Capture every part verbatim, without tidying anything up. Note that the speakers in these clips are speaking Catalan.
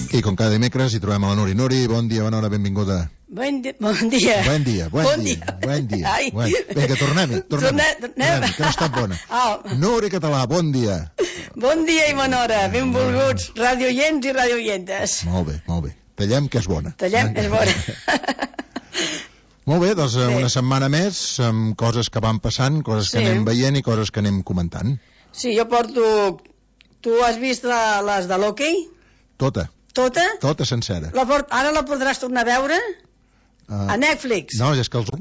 I com cada dimecres hi trobem a la Nuri. Nuri, bon dia, bona hora, benvinguda. Bon dia. Bon dia. Bon dia, bon, bon dia. Bon dia. Bon dia. Vinga, tornem-hi, tornem-hi. Tornem que no està bona. Oh. Nuri Català, bon dia. Bon dia i bona hora. Benvolguts, radioients i radioientes. Molt bé, molt bé. Tallem, que és bona. Tallem, és bona. Molt bé, doncs sí. Una setmana més amb coses que van passant, coses que sí. anem veient i coses que anem comentant. Sí, jo porto... Tu has vist la, les de l'hoquei? Tota. Tota? Tota sencera. La port... Ara la podràs tornar a veure? Uh, a Netflix. No, és que els...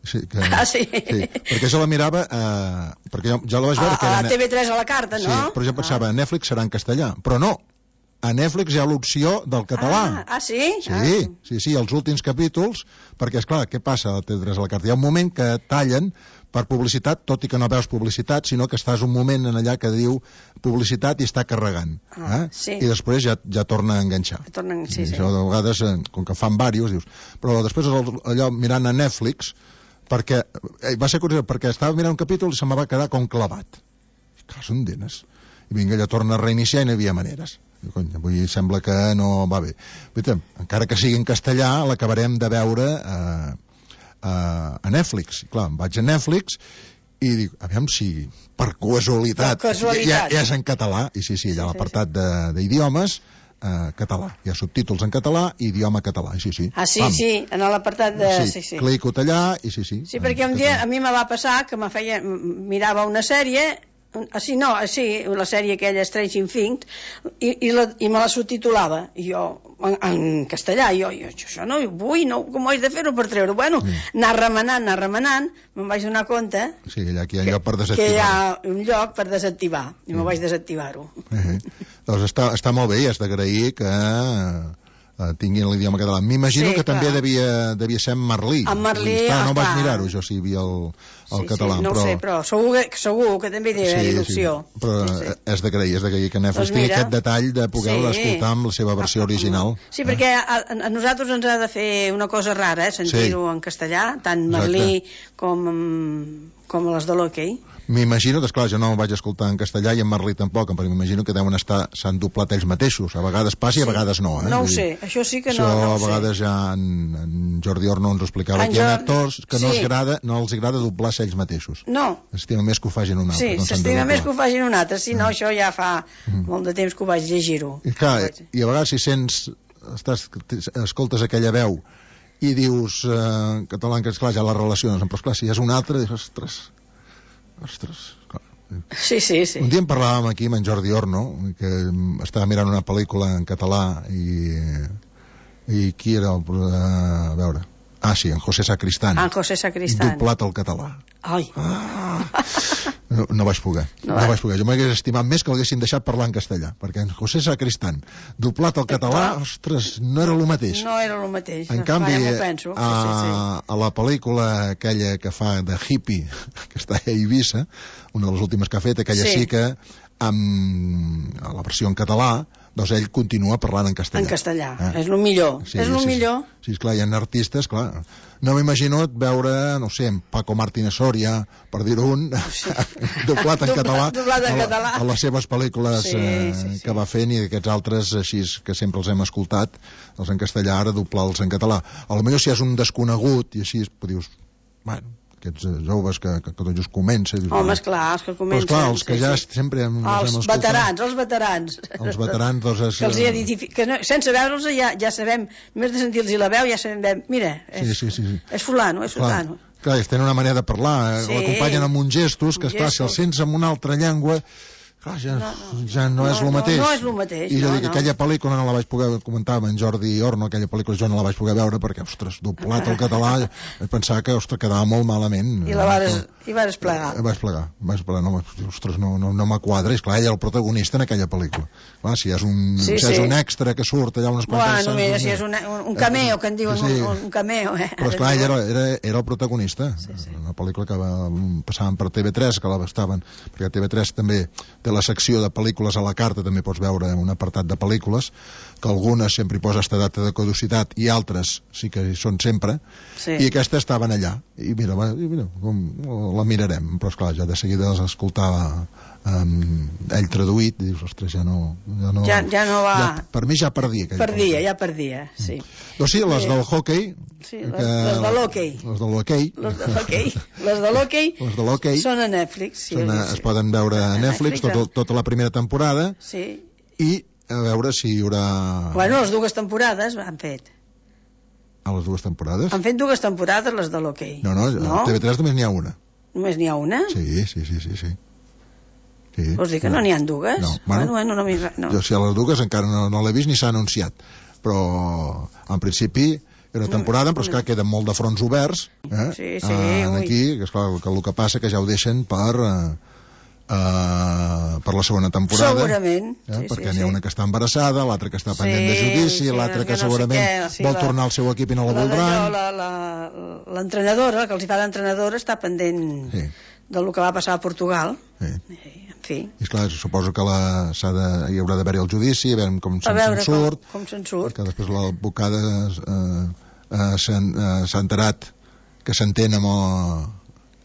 Sí, que... Ah, sí? Sí, perquè jo la mirava... Uh, perquè jo, jo la vaig veure... A, que era... a T V tres a la carta, no? Sí, però jo pensava, ah. Netflix serà en castellà. Però no. A Netflix hi ha l'opció del català. Ah, ah sí? Sí, ah. sí, sí, els últims capítols, perquè, esclar, què passa a T V tres a la carta? Hi ha un moment que tallen per publicitat, tot i que no veus publicitat, sinó que estàs un moment en allà que diu publicitat i està carregant. Ah, eh? sí. I després ja, ja torna a enganxar. Torna, sí, I sí. això de vegades, com que fan diversos, dius... Però després allò mirant a Netflix, perquè va ser curiós, perquè estava mirant un capítol i se me va quedar com clavat. Cas on denes? I vinga, allò torna a reiniciar i no hi havia maneres. I, cony, avui sembla que no va bé. Però, encara que sigui en castellà, l'acabarem de veure eh, eh, a Netflix. I, clar, em vaig a Netflix i dic, aviam si per casualitat, casualitat. Ja, ja és en català. I sí, sí, hi ha sí, l'apartat sí, sí. d'idiomes eh, català. Hi ha subtítols en català i idioma català. Sí, sí. Ah, sí, Pam. sí, en l'apartat de... Sí, sí, sí. clico allà i sí, sí. Sí, perquè un dia a mi me va passar que me feia, mirava una sèrie... Ah, sí, no, sí, la sèrie aquella Stranger Things i, i, la, i me la subtitulava i jo, en, en castellà i jo, jo, això no ho vull, no, com ho haig de fer-ho per treure? Bueno, sí. anar remenant, anar remenant, me'n vaig donar compte sí, allà, aquí hi ha que, lloc per desactivar que hi ha un lloc per desactivar i sí. me'n vaig desactivar-ho. eh, doncs està, està molt bé i has d'agrair que Uh, tinguin l'idioma català. M'imagino sí, que clar. també devia, devia ser en Merlí. En Merlí, Està, no clar. vaig mirar-ho, jo, si hi havia el, el sí, català. Sí, no però... ho sé, però segur que, segur que també hi ha sí, il·lusió. Sí. Però sí, sí. és d'agrair, és d'agrair que Netflix doncs tingui aquest detall de poder-la sí. escoltar amb la seva versió original. Sí, eh? perquè a, a nosaltres ens ha de fer una cosa rara, eh, sentir-ho sí. en castellà, tant Merlí com, com les de l'hoquei. M'imagino que, esclar, jo no ho vaig escoltar en castellà i en Merlí tampoc, però m'imagino que deuen estar, s'han doblat ells mateixos, a vegades passa i a vegades no. Eh? No ho sé, això sí que això no, no ho sé. A vegades ja en, en Jordi Orno ens ho explicava, en que hi ha actors que no, sí. els agrada, no els agrada doblar-se ells mateixos. No. Estima més que ho facin un altre. Sí, no s'estima més que ho facin un altre, si no, mm. això ja fa mm. molt de temps que ho vaig llegir-ho. I clar, i a vegades si sents, estàs, escoltes aquella veu i dius eh, català, que esclar, ja la relaciones, però esclar, si és un altre, dius, ostres, ostres, clar. Sí, sí, sí. Un dia en parlàvem aquí amb en Jordi Orno, que estava mirant una pel·lícula en català i, i qui era el... A veure... Ah, sí, en José Sacristán. Ah, en José Sacristán. Doblat al català. Ai. Ah. No, no vaig poder. No, no vaig poder. Jo m'hagués estimat més que l'haguessin deixat parlar en castellà, perquè en José Sacristán, doblat al català, ostres, no era el mateix. No era el mateix. En canvi, ja penso. A, sí, sí, sí. a la pel·lícula aquella que fa de hippie, que està a Eivissa, una de les últimes que ha fet, aquella sí, sí que amb la versió en català, doncs ell continua parlant en castellà. En castellà, eh? És el millor. Sí, és el sí, millor. Sí, esclar, hi ha artistes, clar. No m'imagino veure, no sé, en Paco Martínez Soria, per dir-ho un, sí. doblat en català, doblat en català. A, a les seves pel·lícules sí, eh, sí, sí. que va fent i aquests altres així que sempre els hem escoltat, els en castellà, ara doblar-los en català. A lo millor si és un desconegut i així, dius, bueno, aquests joves que, que, que tot just comença. Home, esclar, els que comencen. Però esclar, els que sí, ja sí. sempre hem, els hem veterans, els veterans. Els veterans, doncs... És, que els hi identific... que no, sense veure'ls ja, ja sabem, més de sentir-los la veu, ja sabem, mira, és, sí, sí, sí, sí. és fulano, és clar, fulano. Clar, ells tenen una manera de parlar, sí. l'acompanyen amb uns gestos, que esclar, si els sents en una altra llengua... Clar, ja no, no, ja no, no és el mateix. No, no és el mateix. I jo no, dic, no. aquella pel·lícula no la vaig poder comentar amb en Jordi Orno, aquella pel·lícula jo no la vaig poder veure perquè, ostres, doblat al català, vaig pensar que, ostres, quedava molt malament. I la vas, i vas plegar. Vaig plegar, vaig plegar, no, ostres, no, no, no m'quadra, és clar, ell era el protagonista en aquella pel·lícula. Clar, si és un, sí, si és sí. un extra que surt allà unes quantes... Bueno, mira, si és un, un cameo, que en diuen sí. un, un cameo, eh? Però esclar, ell era, era, era el protagonista. Sí, sí. Una pel·lícula que va, passaven per T V tres, que la estaven, perquè T V tres també té la secció de pel·lícules a la carta també pots veure un apartat de pel·lícules, que algunes sempre hi posa esta data de caducitat i altres sí que hi són sempre, Sí. i aquestes estaven allà. I mira, va, i mira com, la mirarem, però esclar, ja de seguida les escoltava um, ell traduït, i dius, ostres, ja no... Ja no, Ja, ja no va... ja, per mi ja perdia. Perdia, ja perdia, sí. Doncs sí, les Sí. del hockey... Sí, les, les de l'hoquei. Les de l'hoquei. Les de l'hoquei. Les de l'hoquei Les de l'hoquei. són a Netflix. Sí, Són a, sí. es poden veure a A Netflix, Netflix, tota, eh? tota la primera temporada, Sí. i a veure si hi haurà... Bueno, les dues temporades han fet. A les dues temporades? Han fet dues temporades les de l'hoquei. No, no, a T V tres només n'hi ha una. Només n'hi ha una? Sí, sí, sí, sí, sí. sí. Vols dir que no n'hi ha dues? No, bueno, bueno, no, no, no. jo si a les dues encara no, no l'he vist ni s'ha anunciat, però en principi era una temporada, però esclar, queden molt de fronts oberts, eh? Sí, sí, eh, ui. aquí, que esclar, el, que, el que passa que ja ho deixen per eh, eh, per la segona temporada. Segurament. Eh? Sí, perquè sí, n'hi ha sí. una que està embarassada, l'altra que està pendent Sí, de judici, sí, l'altra que, que no sé segurament què, sí, vol la- tornar al seu equip i no la La voldran. d'allò, la- la- L'entrenadora, que els hi fa d'entrenadora, està pendent Sí, del que va passar a Portugal. sí. I, en fi, I esclar, suposo que la, s'ha de, hi haurà d'haver-hi el judici, a veure com a se'n veure se'n com, surt, com se'n surt. que després l'advocada eh, eh, s'ha eh, s'ha enterat que s'entén amb, el,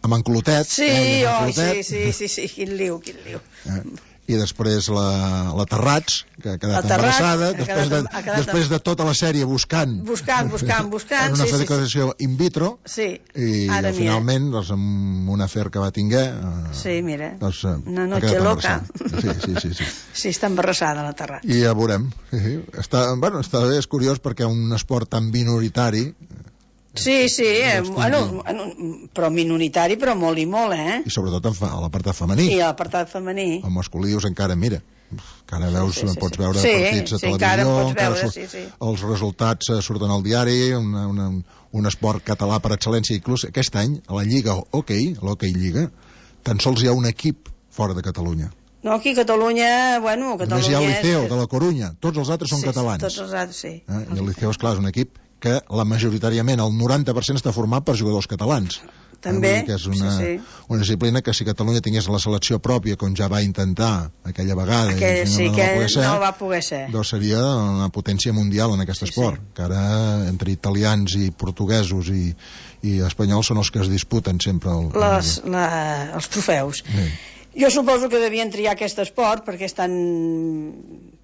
amb en Clotet. Sí, eh, amb en oi, sí, Clotet. sí, sí, sí, quin liu, quin liu. Eh, i després la, la Terrats, que ha quedat La Terrats, embarassada, ha després, quedat- de, ha quedat- després de tota la sèrie buscant, Buscant, buscant, buscant, en una sí, sí, sí. fecundació in vitro, Sí, i ara eh, mira. finalment, doncs, amb un afer que va tinguer, eh, Sí, mira, doncs, eh, una ha noche quedat loca. embarassada. Sí, sí, sí, sí. Sí, està embarassada la Terrat. I ja veurem. Sí, sí. Està, bueno, està bé, és curiós perquè un esport tan minoritari, Sí, sí, eh, Estigui- bueno, bueno, però minoritari, però molt i molt, eh? i sobretot en fa- a l'apartat femení, I a l'apartat femení. el masculí dius encara, mira, encara veus, sí, sí, pots sí. veure Sí, partits a sí, encara televisió, en pots veure, surt- sí, sí. els resultats eh, surten al diari, una, una, un esport català per excel·lència, inclús aquest any, a la Lliga Hockey, a l'Hockey Lliga, tan sols hi ha un equip fora de Catalunya. No, aquí a Catalunya, bueno, Catalunya... Només hi ha el Liceo, és- de la Corunya, tots els altres són sí, catalans. Tots els altres, sí. Eh? I el Liceo, esclar, és un equip que la majoritàriament, el noranta per cent està format per jugadors catalans. També, Eh, vull dir que és una, sí, sí. una disciplina que si Catalunya tingués la selecció pròpia, com ja va intentar aquella vegada, Aquell, i sí, no que va poder ser, no va poder ser. doncs seria una potència mundial en aquest Sí, esport, sí. que ara entre italians i portuguesos i, i espanyols són els que es disputen sempre el, Les, la, els trofeus. Sí. Jo suposo que devien triar aquest esport perquè és tan...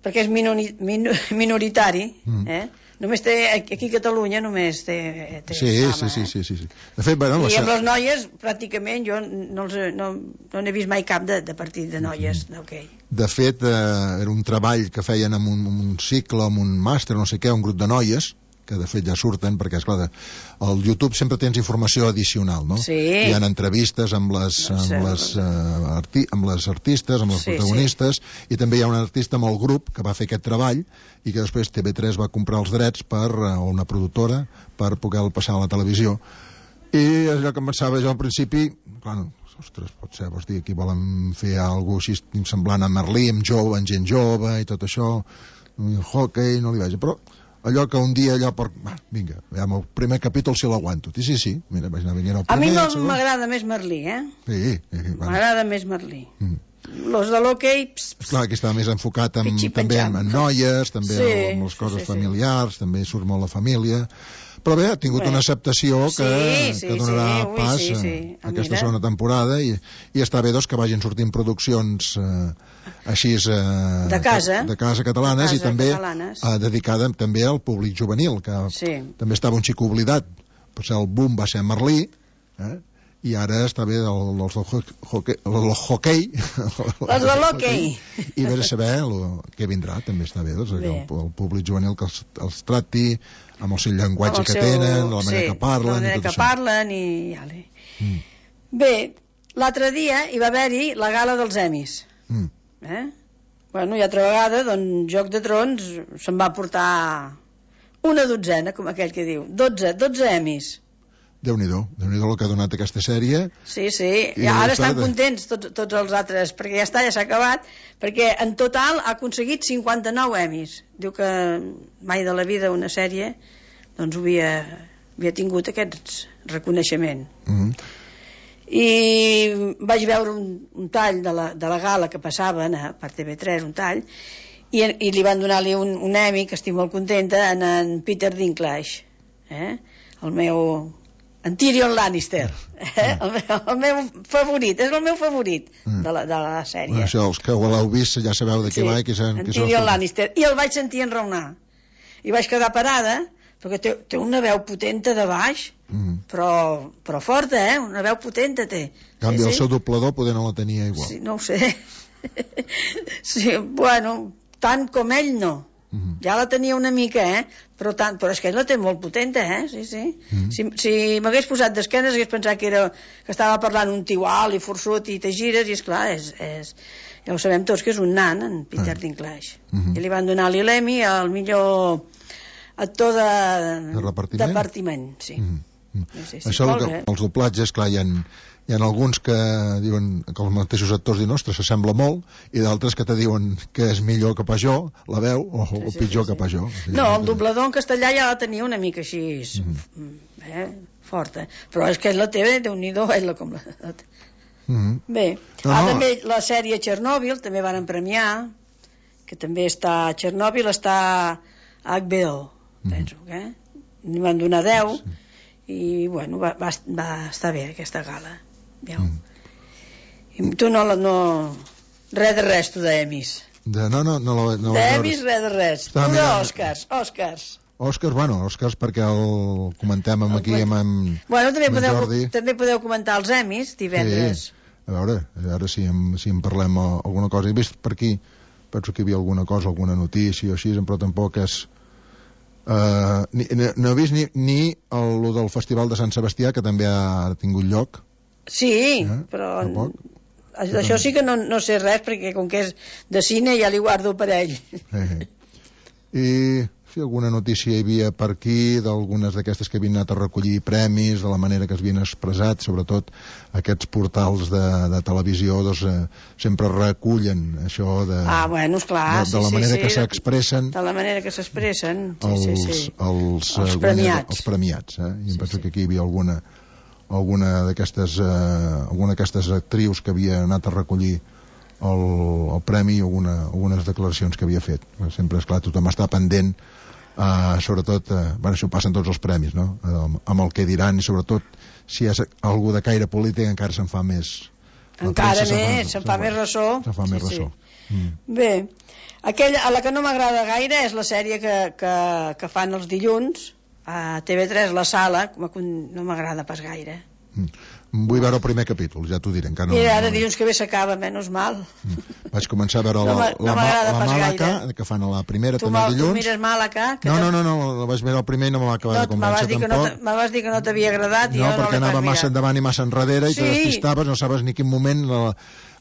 perquè és minori, min, minoritari, Mm. eh? Només té, aquí a Catalunya només té, té Sí, fama, sí, sí, eh? sí, sí, sí. De fet, bueno, I la, amb les noies, pràcticament, jo no, els, he- no, no n'he vist mai cap de, de partit de noies, Mm. d'hoquei. de fet eh, era un treball que feien amb un, amb un cicle, amb un màster, no sé què, un grup de noies, que de fet ja surten, perquè esclar, al YouTube sempre tens informació addicional, no? Sí. Hi ha entrevistes amb les, No sé, amb les, uh, arti amb les artistes, amb les Sí, protagonistes, i també hi ha un artista amb el grup que va fer aquest treball i que després T V tres va comprar els drets per, uh, o una productora, per poder-lo passar a la televisió. I allò que em pensava jo al principi, clar, ostres, pot ser, vols dir, aquí volen fer alguna cosa així semblant a Merlí, amb jove, amb gent jove i tot això, i el hockey, no li vaig, però allò que un dia allò per... Va, vinga, veiem el primer capítol si l'aguanto. I sí, sí, mira, vaig anar venint el A mi primer, el no segon. m'agrada més Merlí, eh? Sí, sí, sí, bueno. M'agrada més Merlí. Mm. Los de l'hoquei... ps, ps, Clar, aquí està més enfocat en, Pitxi també en, penjant. en noies, també Sí, amb les sí, coses sí, sí. familiars, també surt molt la família. Però bé, ha tingut Bé. una acceptació que, Sí, sí, que donarà sí, ui, pas sí, sí. a Ah, aquesta mira. segona temporada i, i està bé doncs, que vagin sortint produccions eh, així eh, De casa. de casa catalanes De i casa també catalanes. eh, dedicada també al públic juvenil, que Sí. també estava un xic oblidat. Potser el boom va ser Merlí, eh? I ara està bé el, els del ho- hoquei, el hoquei. Les de l'hoquei. I vés a saber el, què vindrà, també està bé, doncs, Bé. el, el públic juvenil que els, els tracti amb el seu llenguatge Amb el que seu- tenen, la manera sí, que parlen, la manera i tot que això. parlen i... Ale. Mm. Bé, l'altre dia hi va haver-hi la gala dels Emis. Mm. Eh? Bueno, i altra vegada, doncs, Joc de Trons se'n va portar una dotzena, com aquell que diu. Dotze, dotze Emis. Déu-n'hi-do, Déu-n'hi-do el que ha donat aquesta sèrie. Sí, sí, I i ara ja estan està, de- contents tots, tots els altres, perquè ja està, ja s'ha acabat, perquè en total ha aconseguit cinquanta-nou Emis. Diu que mai de la vida una sèrie doncs havia, havia tingut aquest reconeixement. Mm. i vaig veure un, un tall de la, de la gala que passaven a, per T V tres, un tall, i, i li van donar-li un, un Emmy, que estic molt contenta, en, en Peter Dinklage, eh? el meu... en Tyrion Lannister, eh? el, meu, el meu favorit, és el meu favorit mm. de, la, de la sèrie. Bueno, això, els que ho l'heu vist ja sabeu de què sí, va i qui en Tyrion Lannister, i el vaig sentir enraonar i vaig quedar parada perquè té, té una veu potenta de baix, mm. però, però forta, eh? Una veu potenta té. En canvi, sí, el sí. seu doblador poder no la tenia igual. Sí, no ho sé. Sí, bueno, tant com ell no. Mm-hmm. Ja la tenia una mica, eh? Però, tant, però és que ell la té molt potenta, eh? Sí, sí. Mm-hmm. Si, si m'hagués posat d'esquenes hagués pensat que, era, que estava parlant un tio alt i forçut i te gires i, esclar, és, és, ja ho sabem tots que és un nan, en Peter ah. Dinklage. Mm-hmm. I li van donar l'Emmy al millor actor de, de repartiment, de partiment, sí. Mm-hmm. Sí, sí, sí. Això, que, els doblatges, clar, hi ha, hi ha alguns que diuen que els mateixos actors diuen, ostres, s'assembla molt, i d'altres que te diuen que és millor que pas jo, la veu, o, sí, sí, o pitjor sí, sí. que pas jo. Sí, no, el doblador en castellà ja la tenia una mica així, mm-hmm. eh, forta, però és que ell la té, Déu-n'hi-do, ell la com la... Mm-hmm. Bé, no, ah, no. També la sèrie Chernobyl, també van premiar, que també està a Chernobyl, està a H B O, mm-hmm. penso, que eh? N'hi van donar deu, sí. I, bueno, va, va, va estar bé aquesta gala. Mm. I tu no, no... res de res, tu d'Emis. De, no, no, no, no, no d'Emis, res de res. Tu d'Òscars, Òscars. Òscars, bueno, Òscars perquè el comentem amb aquí amb, amb, bueno, també amb podeu, Jordi. També podeu comentar els Emis divendres. Sí. A veure, a veure si en, si en parlem alguna cosa. He vist per aquí, penso que hi havia alguna cosa, alguna notícia o així, però tampoc és... Uh, ni, no he vist ni, ni el, el del Festival de Sant Sebastià, que també ha tingut lloc. Sí, eh? Però d'això sí que no, no sé res, perquè com que és de cine ja li guardo per ell. Eh, eh. I si alguna notícia hi havia per aquí d'algunes d'aquestes que havien anat a recollir premis, de la manera que es havien expressat, sobretot aquests portals de, de televisió, doncs, eh, sempre recullen això de, ah, bueno, esclar, de, de la sí, manera sí, que sí. s'expressen de la manera que s'expressen sí, els, sí, sí. els, els premiats, els premiats eh? I em sí, penso sí. que aquí hi havia alguna alguna d'aquestes eh, alguna d'aquestes actrius que havia anat a recollir el, el premi i alguna, algunes declaracions que havia fet. Sempre, esclar, tothom està pendent, uh, sobretot, uh, bueno, això ho passen tots els premis, no? Uh, amb el que diran, i sobretot si és algú de caire polític encara se'n fa més. Encara més, se'n fa, fa més ressò. Se'n fa sí, més ressò. Sí. Mm. Bé, aquella, a la que no m'agrada gaire és la sèrie que, que, que fan els dilluns a T V tres, La Sala, no m'agrada pas gaire. Mm. Vull veure el primer capítol, ja t'ho diré. No, Mira, ara no... dilluns que ve s'acaba, menys mal. Mm. Vaig començar a veure la, no la, no la, la Màlaga, que fan a la primera tu també dilluns. Tu mires Màlaga? No, no, no, no, la vaig veure el primer i no me va acabar no, de convèncer tampoc. Me vas dir que no t'havia agradat i no, jo no perquè anava massa endavant i massa enrere i sí. te despistaves, no sabies ni quin moment. La...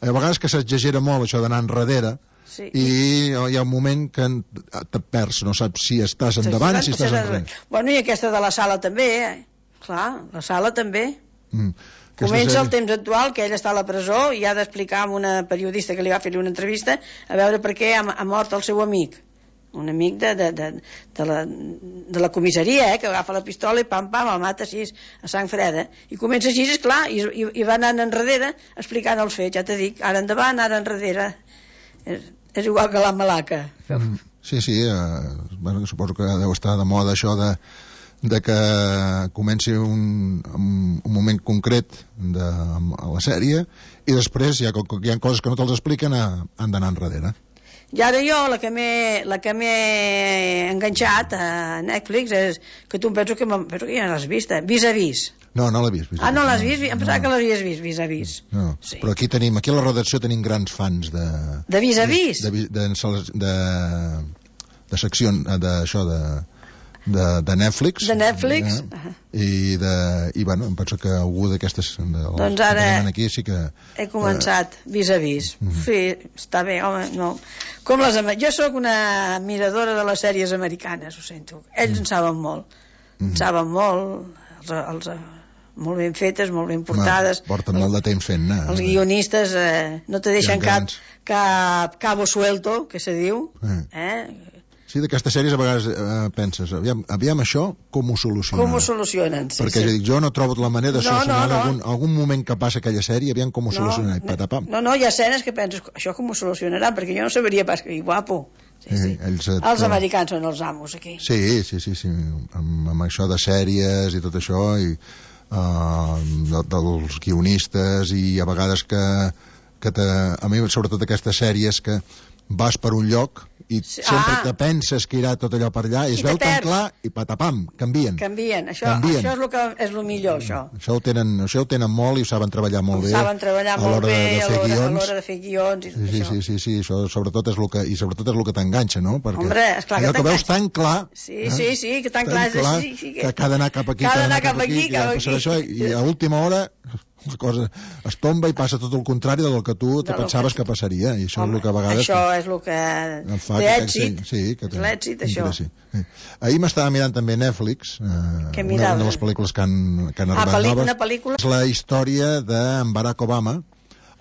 A vegades que s'exagera molt això d'anar enrere. Sí. I hi ha un moment que te perds, no saps si estàs endavant o si estàs enrere. Bueno, i aquesta de La Sala també, eh? Clar, La Sala també. Mm. Comença el temps actual, que ell està a la presó i ha d'explicar a una periodista que li va fer una entrevista a veure per què ha, ha mort el seu amic. Un amic de, de, de, de, la, de la comissaria, eh? Que agafa la pistola i pam, pam, el mata així a sang freda. I comença així, esclar, i, i, i va anant enrere explicant els fets, ja t'he dit, ara endavant, ara enrere. És, és igual que la Malaca. Mm. Sí, sí, eh, bueno, suposo que deu estar de moda això de de que comenci un, un moment concret de, a la sèrie i després, ja que hi ha coses que no te'ls expliquen, han d'anar enrere. I ara jo, la que m'he la que m'he enganxat a Netflix és que tu em penso que, penso que ja l'has vist, eh? Vis a vis. No, no l'he vist. Ah, no l'has vist? Em pensava no. que l'havies vist, vis a vis. No, sí. Però aquí tenim, aquí a la redacció tenim grans fans de... De vis a vis? De, de, de, de, de secció, d'això, de... De, de Netflix, de Netflix? Eh? I, de, i bueno, em penso que algú d'aquestes doncs ara aquí sí que he començat eh... vis a vis. Mm-hmm. Sí, està bé, home, no. Com les, jo sóc una miradora de les sèries americanes, ho sento. Ells mm. en saben molt. Mm-hmm. En saben molt, els, els, molt ben fetes, molt ben portades. Ma, porten molt de temps fent, eh? Els guionistes eh, no te deixen cap, cap cabo suelto, que se diu, mm. eh? Sí, d'aquestes sèries a vegades eh, penses, aviam, aviam això, com ho solucionen? Com ho solucionen, sí, Perquè sí. ja dic, jo no trobo la manera de No, solucionar no, no. algun, algun moment que passa aquella sèrie, aviam com ho No, solucionen, i patapam. No, no, hi ha escenes que penses, això com ho solucionaran, perquè jo no sabria pas que guapo. Sí, sí. Eh, ells et- Els americans són els amos, aquí. Sí, sí, sí, sí. Amb, amb això de sèries i tot això, i uh, de, dels guionistes, i a vegades que, que te, a mi sobretot aquestes sèries que vas per un lloc i Sí, sempre ah. que penses que irà tot allò per allà i es I veu te tan perds. clar i patapam, canvien. Canvien, això, Canvien. això és el que és el millor, això. Això ho tenen, això ho tenen molt i ho saben treballar molt bé. Saben treballar a molt l'hora bé de, de a fer l'hora a guions. l'hora de fer guions i tot Sí, sí, això. sí, sí, sí, això sobretot és el que, i sobretot és el que t'enganxa, no? Perquè Hombre, esclar que allò que veus t'enganxa. tan clar... Sí, sí, sí, que tan clar és així, sí, que- que ha d'anar cap aquí, que ha que ha d'anar d'anar cap aquí, que cap ha de passar aquí. això, i a última hora la cosa es tomba i passa tot el contrari del que tu te Del pensaves que- que passaria, i això Home, és el que a vegades... això és el que em fa té que aquell èxit. seny- sí, que És l'èxit, això. interessi. Sí. Ahir m'estava mirant també Netflix, eh, Què una, miraves? una de les pel·lícules que han, que han Ah, arribat pel·li- noves. una pel·lícula? És la història d'en Barack Obama,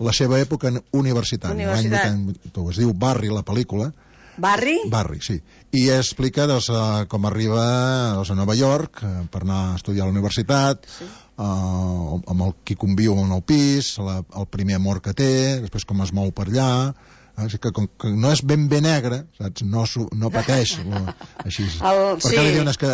la seva època universitària. Universitat. L'any vuitanta. Es diu Barry, la pel·lícula. Barri? Barry, sí. I explica doncs, eh, com arriba doncs, a Nova York eh, per anar a estudiar a la universitat, Sí. eh, amb el qui conviu en el pis, la, el primer amor que té, després com es mou per allà, eh, és que com que no és ben bé negre, saps? No, su- no pateix lo, així. El- Perquè sí. li diuen, és que,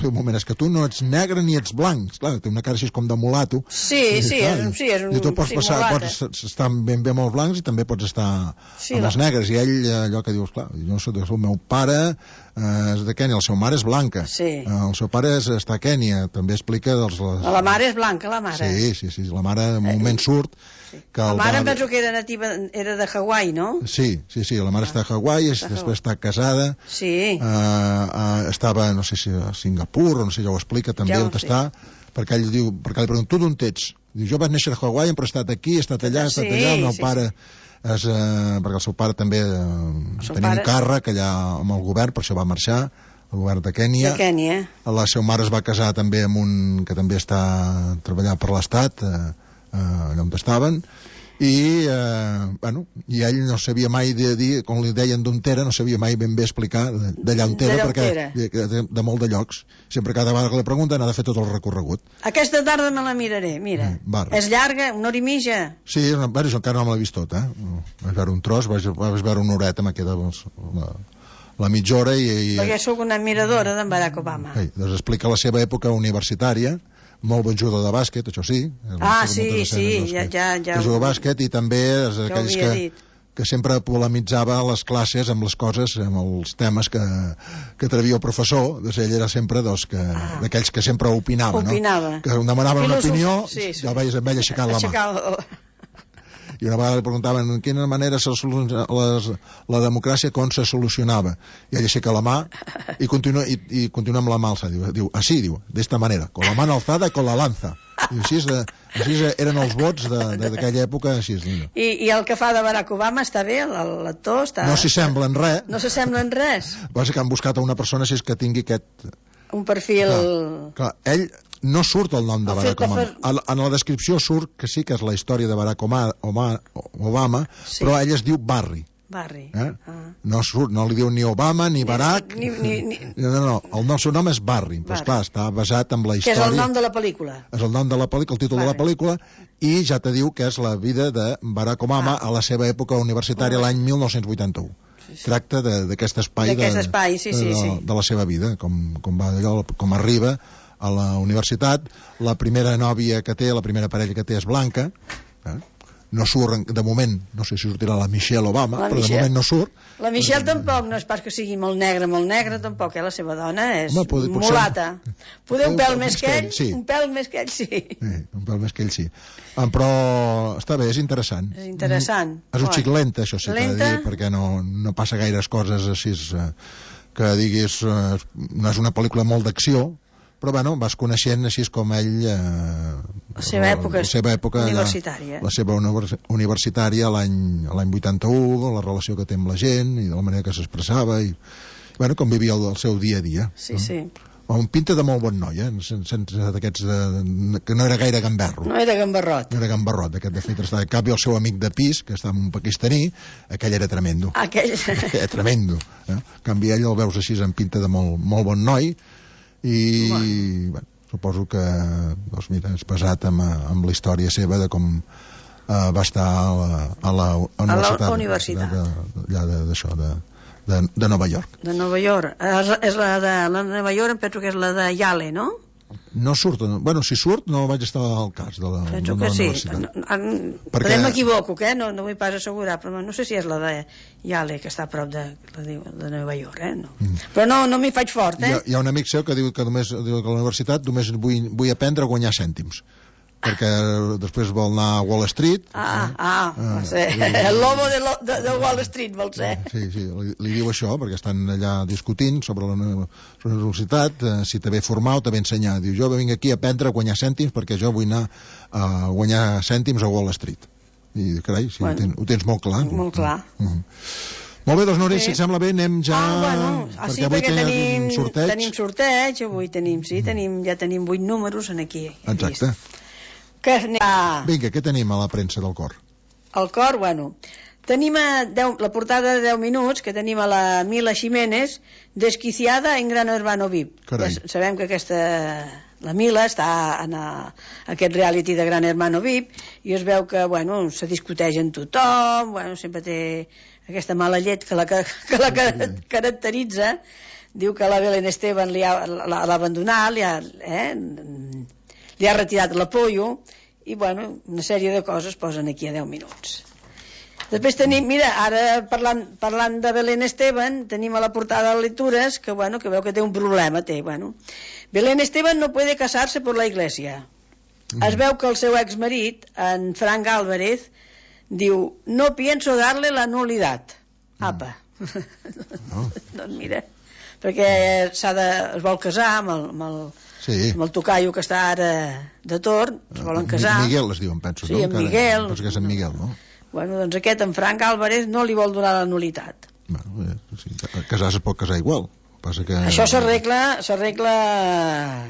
un moment, és que tu no ets negre ni ets blanc. Clar, té una cara així com de mulato. Sí, I, sí, clar, és un- sí, és un i tu pots, passar, simulata. pots estar ben bé amb els blancs i també pots estar Sí, amb la- els negres. I ell, eh, allò que dius, clar, jo soc el meu pare eh, és de Kènia, el seu mare és blanca. Sí. Eh, el seu pare és, està a Kènia, també explica dels... Les... La mare és blanca, la mare. Sí, sí, sí, la mare en un moment surt que La el mare va- em penso que era nativa, era de Hawaii, no? Sí, sí, sí, la mare està a Hawaii, Està a després està casada, Sí. eh, eh, estava, no sé si a Singapur, o no sé, ja ho explica també Ja ho on sé. està, perquè ell diu, perquè li pregunto, tu d'on ets? Diu, jo vaig néixer a Hawaii, però he estat aquí, he estat allà, he estat Sí, allà, el meu sí, pare és, eh, perquè el seu pare també eh, seu tenia pare- un càrrec allà amb el govern, per això va marxar, el govern de Kènia. De Kènia. La seva mare es va casar també amb un que també està treballant per l'Estat, eh, eh, allà on estaven, i, eh, bueno, i ell no sabia mai de dir, com li deien d'on era, no sabia mai ben bé explicar de- d'allà on era, D'allà on perquè era. de, de, de molt de llocs. Sempre cada vegada que li pregunten ha de fer tot el recorregut. Aquesta tarda me la miraré, mira. Mm, Barri. És llarga, una hora i mitja. Sí, és una, bueno, jo encara no me l'he vist tota, eh? Vaig veure un tros, vaig, vaig veure una horeta, me queda doncs, la, la mitja hora i... i Perquè sóc una admiradora d'en Barack Obama. Ei, doncs explica la seva època universitària, molt bon jugador de bàsquet, això sí. Ah, Moltes sí, escenes, sí, doncs, ja, que- ja, ja. que juga a bàsquet i també és Ja ho d'aquells havia que, dit. que sempre polemitzava a les classes amb les coses, amb els temes que, que atrevia el professor. Doncs ell era sempre doncs, que, Ah. d'aquells que sempre opinava, Opinava. no? Que demanaven una Filosofia, opinió, sí, sí. ja el veies amb ell aixecant la mà. Aixecar el- I una vegada li preguntaven en quina manera se soluciona, les, la democràcia com se solucionava. I ell aixeca la mà i continua, i, i continua amb la mà alçada. Diu, diu, així, diu, d'esta manera, con la mano alzada y con la lanza. I així, de, així eren els vots de- de- d'aquella època, així és. No, I, I el que fa de Barack Obama està bé, el- l'actor està... no s'hi sembla en res, No s'assembla en res. passa que han buscat a una persona així que tingui aquest... Un perfil... Clar, clar, ell no surt el nom de El Barack fet de Obama. fer- En, en la descripció surt que sí que és la història de Barack Obama, Obama, Obama Sí. però ell es diu Barry. Barri. Eh? Ah. No surt, no li diu ni Obama ni Barack. ni- ni- ni- No, no, no, el, nom, seu nom és Barry, però Barry. esclar, està basat en la Que és història. el nom de la pel·lícula. És el nom de la pel·lícula, el títol de la Barry. pel·lícula, i ja te diu que és la vida de Barack Obama Ah. a la seva època universitària, l'any mil nou-cents vuitanta-u. Tracta de- d'aquest espai, D'aquest de, espai, sí, sí, de, sí. de la seva vida, com, com, va allò, com arriba a la universitat. La primera nòvia que té, la primera parella que té és blanca, eh? No surt, de moment, no sé si sortirà la Michelle Obama, La però Michelle. de moment no surt. La Michelle tampoc, no és pas que sigui molt negra, molt negra, tampoc, eh? La seva dona és Home, pot- potser- mulata. Poder un pèl més que ell, sí. un pèl més que ell, sí. Eh, un pèl més que ell sí. Ah, però està bé, és interessant. És interessant. Mm, és un Oi. xic lenta, això sí, que he de Lenta? dir, perquè no, no passa gaires coses així eh, que diguis, eh, no és una pel·lícula molt d'acció, però bueno, vas coneixent així com ell eh, La seva època la seva època universitària. la, la seva univers, universitària l'any l'any vuitanta-u, la relació que té amb la gent i de la manera que s'expressava i bueno, com vivia el, el seu dia a dia. Sí, sí. un pinta de molt bon noi, eh? Sense d'aquests de... que no era gaire gamberro. No era gambarrot. No era gambarrot, aquest de fet estava. En canvi, el seu amic de pis, que estava un pakistaní, aquell era tremendo. Aquell... Era tremendo. Eh? En canvi, ell el veus així en pinta de molt, molt bon noi, i bueno. Bueno, suposo que doncs mira, és basat amb, amb la història seva de com eh, va estar a la, a la universitat. A la universitat. Allà d'això, de, de, de Nova York. De Nova York. És, és la de la de Nova York, em penso que és la de Yale, no? No surt, bueno, si surt no vaig estar al cas de la, penso de que la sí. universitat. Perquè... Però m'equivoco, que no, no vull pas assegurar, però no sé si és la de Yale, que està a prop de, de, de Nova York, eh? No. Mm. Però no, no m'hi faig fort, eh? Hi ha, hi ha un amic seu que diu que només diu que a la universitat només vull, vull aprendre a guanyar cèntims, perquè després vol anar a Wall Street. Ah, ah, ah sí. El lobo de, lo, de, de Wall Street vol ser. Sí, sí, li, li diu això, perquè estan allà discutint sobre la, sobre la universitat, eh, si t'ha bé formar o t'ha bé ensenyar. Diu, jo vinc aquí a aprendre a guanyar cèntims perquè jo vull anar a guanyar cèntims a Wall Street. I, carai, sí, bueno, ho, tens, ho tens molt clar. Molt clar. Mm -hmm. Molt bé, doncs, Núria, sí. Si et sembla bé, anem ja... Ah, bueno, ah, perquè sí, avui perquè tenim sorteig. Tenim sorteig, avui tenim, sí, tenim, ja tenim vuit números en aquí. Exacte. Que a... Vinga, què tenim a la premsa del cor? El cor, bueno, tenim a deu, la portada de deu minuts, que tenim a la Mila Jiménez, desquiciada en Gran Hermano V I P. Carai. Ja sabem que aquesta... La Mila està en a, aquest reality de Gran Hermano V I P i es veu que, bueno, se discuteix en tothom, bueno, sempre té aquesta mala llet que la, que, que la que caracteritza. Diu que la Belén Esteban l'ha abandonat, li ha... Eh, li ha retirat l'apollo i, bueno, una sèrie de coses posen aquí a deu minuts. Després tenim, mira, ara parlant, parlant de Belén Esteban, tenim a la portada de lectures que, bueno, que veu que té un problema, té, bueno. Belén Esteban no puede casarse por la iglesia. Mm. Es veu que el seu exmarit, en Frank Álvarez, diu, no pienso darle la nulidad. Mm. Apa. No. Doncs mira, perquè s'ha de, es vol casar amb el... Amb el Sí. amb el tocaio que està ara de torn, es volen casar. Miguel es diuen, penso. Sí, no? en Miguel. Penso que és en Miguel, no? Bueno, doncs aquest, en Frank Álvarez, no li vol donar la nulitat. Bueno, sí, casar se pot casar igual. Passa que... Això s'arregla... s'arregla...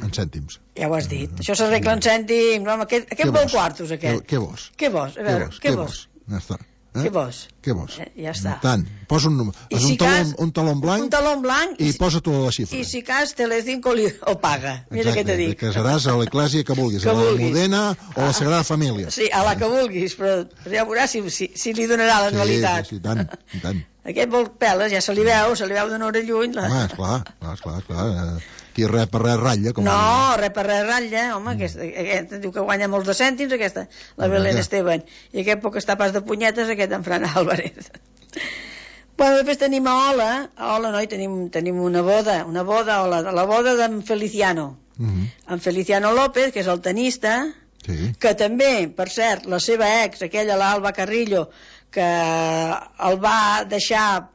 En cèntims. Ja ho has dit. Això s'arregla en cèntims. No, aquest aquest vol quartos, aquest. Què vols? Què vols? A veure, què vols? Ja està. Eh? Què vols? Què vols? Eh, ja està. Tant. Posa un, si un, talon, un talon blanc, un talon blanc i, i posa tu la xifra. I si cas Telecinco li ho paga. Mira què te dic. Exacte, casaràs a l'eclèsia que vulguis, que a la Modena o a la Sagrada Família. Sí, a la que vulguis, però ja veuràs si, si, si li donarà l'anualitat. Sí, sí, sí, tant, tant. Aquest vol peles, ja se li veu, se li veu d'una hora lluny. La... Home, esclar, esclar, esclar. Aquí res per res ratlla. Com no, res per res ratlla, home, mm. aquesta, aquesta diu que guanya molts de cèntims, aquesta, la Belén ja. Esteban, i aquest poc està pas de punyetes, aquest en Fran Álvarez. Bueno, després tenim a Ola, a Ola, no, i tenim, tenim una boda, una boda, Ola, la boda d'en Feliciano, mm -hmm. en Feliciano López, que és el tenista, sí. Que també, per cert, la seva ex, aquella, l'Alba Carrillo, que el va deixar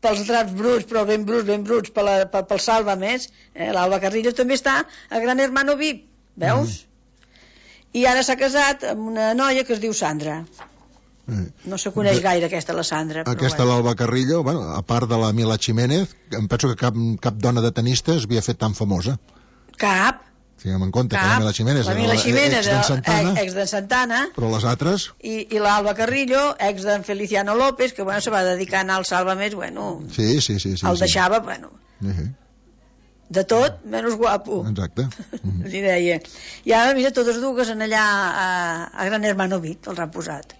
pels draps bruts, però ben bruts, ben bruts, per la, per, pel Salva Més, eh? L'Alba Carrillo també està a Gran Hermano V I P, veus? Mm. I ara s'ha casat amb una noia que es diu Sandra. Mm. No se coneix de... gaire aquesta, la Sandra. Aquesta, bueno. L'Alba Carrillo, bueno, a part de la Mila Jiménez, em penso que cap, cap dona de tenista es havia fet tan famosa. Cap. Tinguem en compte Cap. Que la Mila Jiménez la Mila Jiménez, ex d'en Santana, ex de Santana, però les altres... I, i l'Alba Carrillo, ex d'en Feliciano López, que bueno, se va dedicar a anar al Salva Més, bueno... Sí, sí, sí. sí el sí. deixava, bueno... Uh-huh. De tot, menys guapo. Exacte. Uh-huh. Li deia. I ara, mira, totes dues en allà a, a Gran Hermano V I P, els han posat.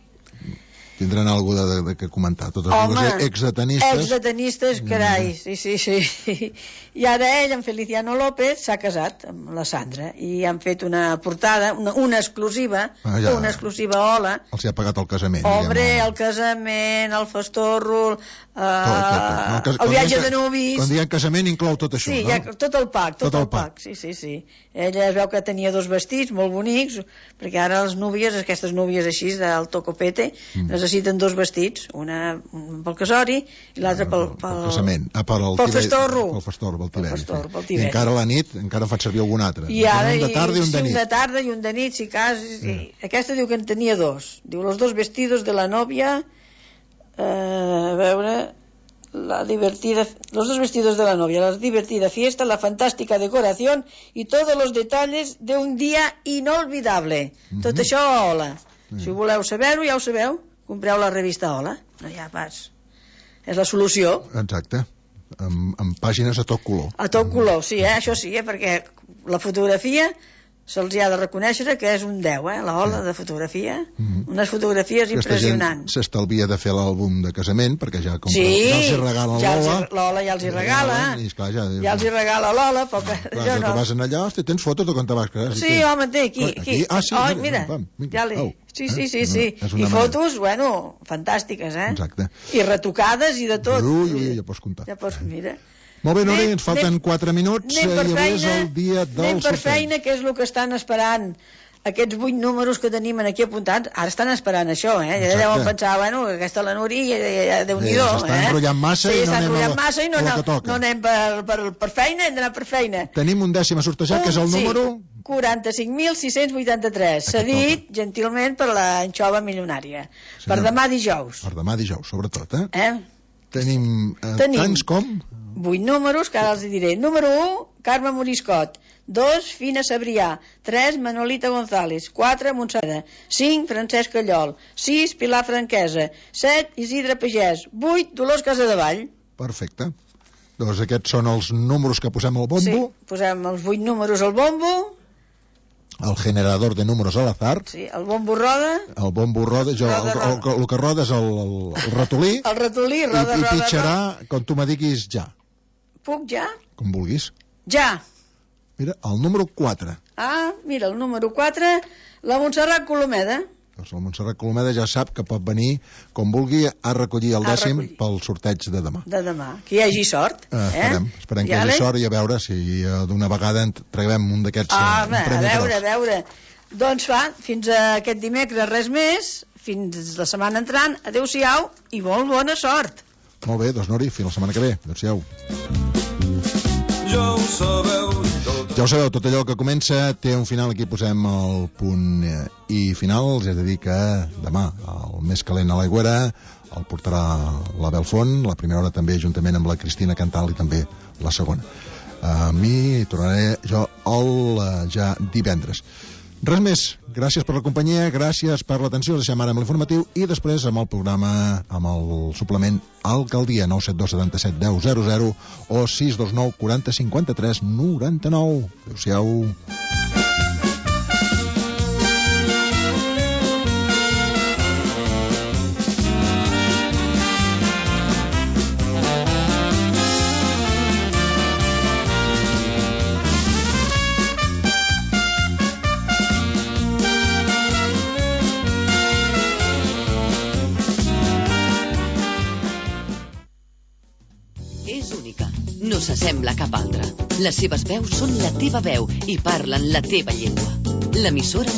Tindran alguna de, de, de comentar. Totes Home, dues ex-detenistes. Ex-detenistes, carai, sí, sí, sí. I ara ell, en Feliciano López, s'ha casat amb la Sandra i han fet una portada, una, una exclusiva, ah, ja. una exclusiva Ola. Els hi ha pagat el casament. Hombre, diguem, el casament, el festorro, uh, tot, tot, tot. No, cas, el viatge de nuvis... Quan diem casament inclou tot això, sí, no? Ja, tot el pack, tot, tot el, el pack. pack. Sí, sí, sí. Ella es veu que tenia dos vestits molt bonics, perquè ara les núvies, aquestes núvies així del tocopete, mm. necessiten dos vestits, una pel casori i l'altra pel, pel, pel casament, ah, pel, pel festorro. Pel festorro, pel tiberi. Festor, pel sí. I encara a la nit encara en faig servir algun altre. I ara, un de tarda i un de sí, nit. un de tarda i un de nit, si cas... Sí. Aquesta diu que en tenia dos. Diu, los dos vestidos de la novia, eh, a veure... la divertida, los dos vestidos de la novia, la divertida fiesta, la fantástica decoración y todos los detalles de un dia inolvidable. Mm-hmm. Tot això a Hola. Mm. Si voleu saber-ho, ja ho sabeu, compreu la revista Hola. No hi ha pas. És la solució. Exacte. Amb, amb pàgines a tot color. A tot color, sí, eh? Això sí, eh? Perquè la fotografia se'ls ha de reconèixer que és un deu, eh? La Hola de fotografia, mm-hmm. unes fotografies impressionants. S'estalvia de fer l'àlbum de casament, perquè ja com sí, que ja els hi regala ja l'Hola... L'Hola ja els hi regala, i, esclar, ja, ja els hi regala l'Hola, però que clar, jo ja no. Que vas anar allà, hosti, tens fotos de quan te vas casar. Sí, home, té, aquí, aquí. aquí? Ah, sí, oh, mira, mira, pam, ja li... oh, sí, sí, eh? sí, sí. No, I fotos, manera. Bueno, fantàstiques, eh? Exacte. I retocades i de tot. Ui, ui, ja pots comptar. Ja pots, mira... Molt bé, Nori, ens falten quatre minuts i avui és el dia del anem per sorteig. feina, que és el que estan esperant aquests vuit números que tenim aquí apuntats. Ara estan esperant això, eh? Ja deuen pensar, bueno, aquesta la Nuri, ja, ja, ja, Déu-n'hi-do, eh? S'està enrotllant massa sí, i no anem a, massa i no, a no, que toca. no anem per, per, per feina, hem d'anar per feina. Tenim un dècim a sortejar, que és el sí, número... quaranta-cinc mil sis-cents vuitanta-tres, cedit gentilment per l'anxova milionària. Senyor, per demà dijous. Per demà dijous, sobretot, eh? Eh? Tenim, eh, Tenim tants com... vuit números, que ara els diré. Número u, Carme Moriscot. dos, Fina Sabrià. tres, Manolita González. quatre, Montserrat. cinc, Francesc Callol. sis, Pilar Franquesa. set, Isidre Pagès. vuit, Dolors Casadevall. Perfecte. Doncs aquests són els números que posem al bombo. Sí, posem els vuit números al bombo. El generador de números al azar. Sí, el bombo roda. El bombo roda, jo, roda, el, el, el, el que roda és el, el, el ratolí. El ratolí, roda, i, roda, i pitjarà roda. quan tu me diguis ja. Puc ja? Com vulguis. Ja. Mira, el número quatre. Ah, mira, el número quatre, la Montserrat Colomeda. Doncs la Montserrat Colomeda ja sap que pot venir, com vulgui, a recollir el dècim recollir. pel sorteig de demà. De demà. Que hi hagi sort. Eh, esperem, eh? esperem que hi hagi sort i a veure si uh, d'una vegada en traguem un d'aquests ah, uh, un premi a veure, gros. a veure. Doncs va, fins a aquest dimecres res més, fins la setmana entrant, adeu-siau i molt bona sort. Molt bé, doncs Nori, fins la setmana que ve. Adéu-siau. Ja ho sabeu. Ja ho sabeu, tot allò que comença té un final, aquí posem el punt i final, és a dir que demà el més calent a l'Aigüera el portarà la Belfont, la primera hora també juntament amb la Cristina Cantal i també la segona. A mi tornaré jo el ja divendres. Res més, gràcies per la companyia, gràcies per l'atenció, us deixem ara amb l'informatiu i després amb el programa, amb el suplement Alcaldia, nou set dos set set deu zero zero o sis dos nou quaranta cinquanta tres noranta-nou. Adéu-siau. No s'assembla a cap altra. Les seves veus són la teva veu i parlen la teva llengua. L'emissora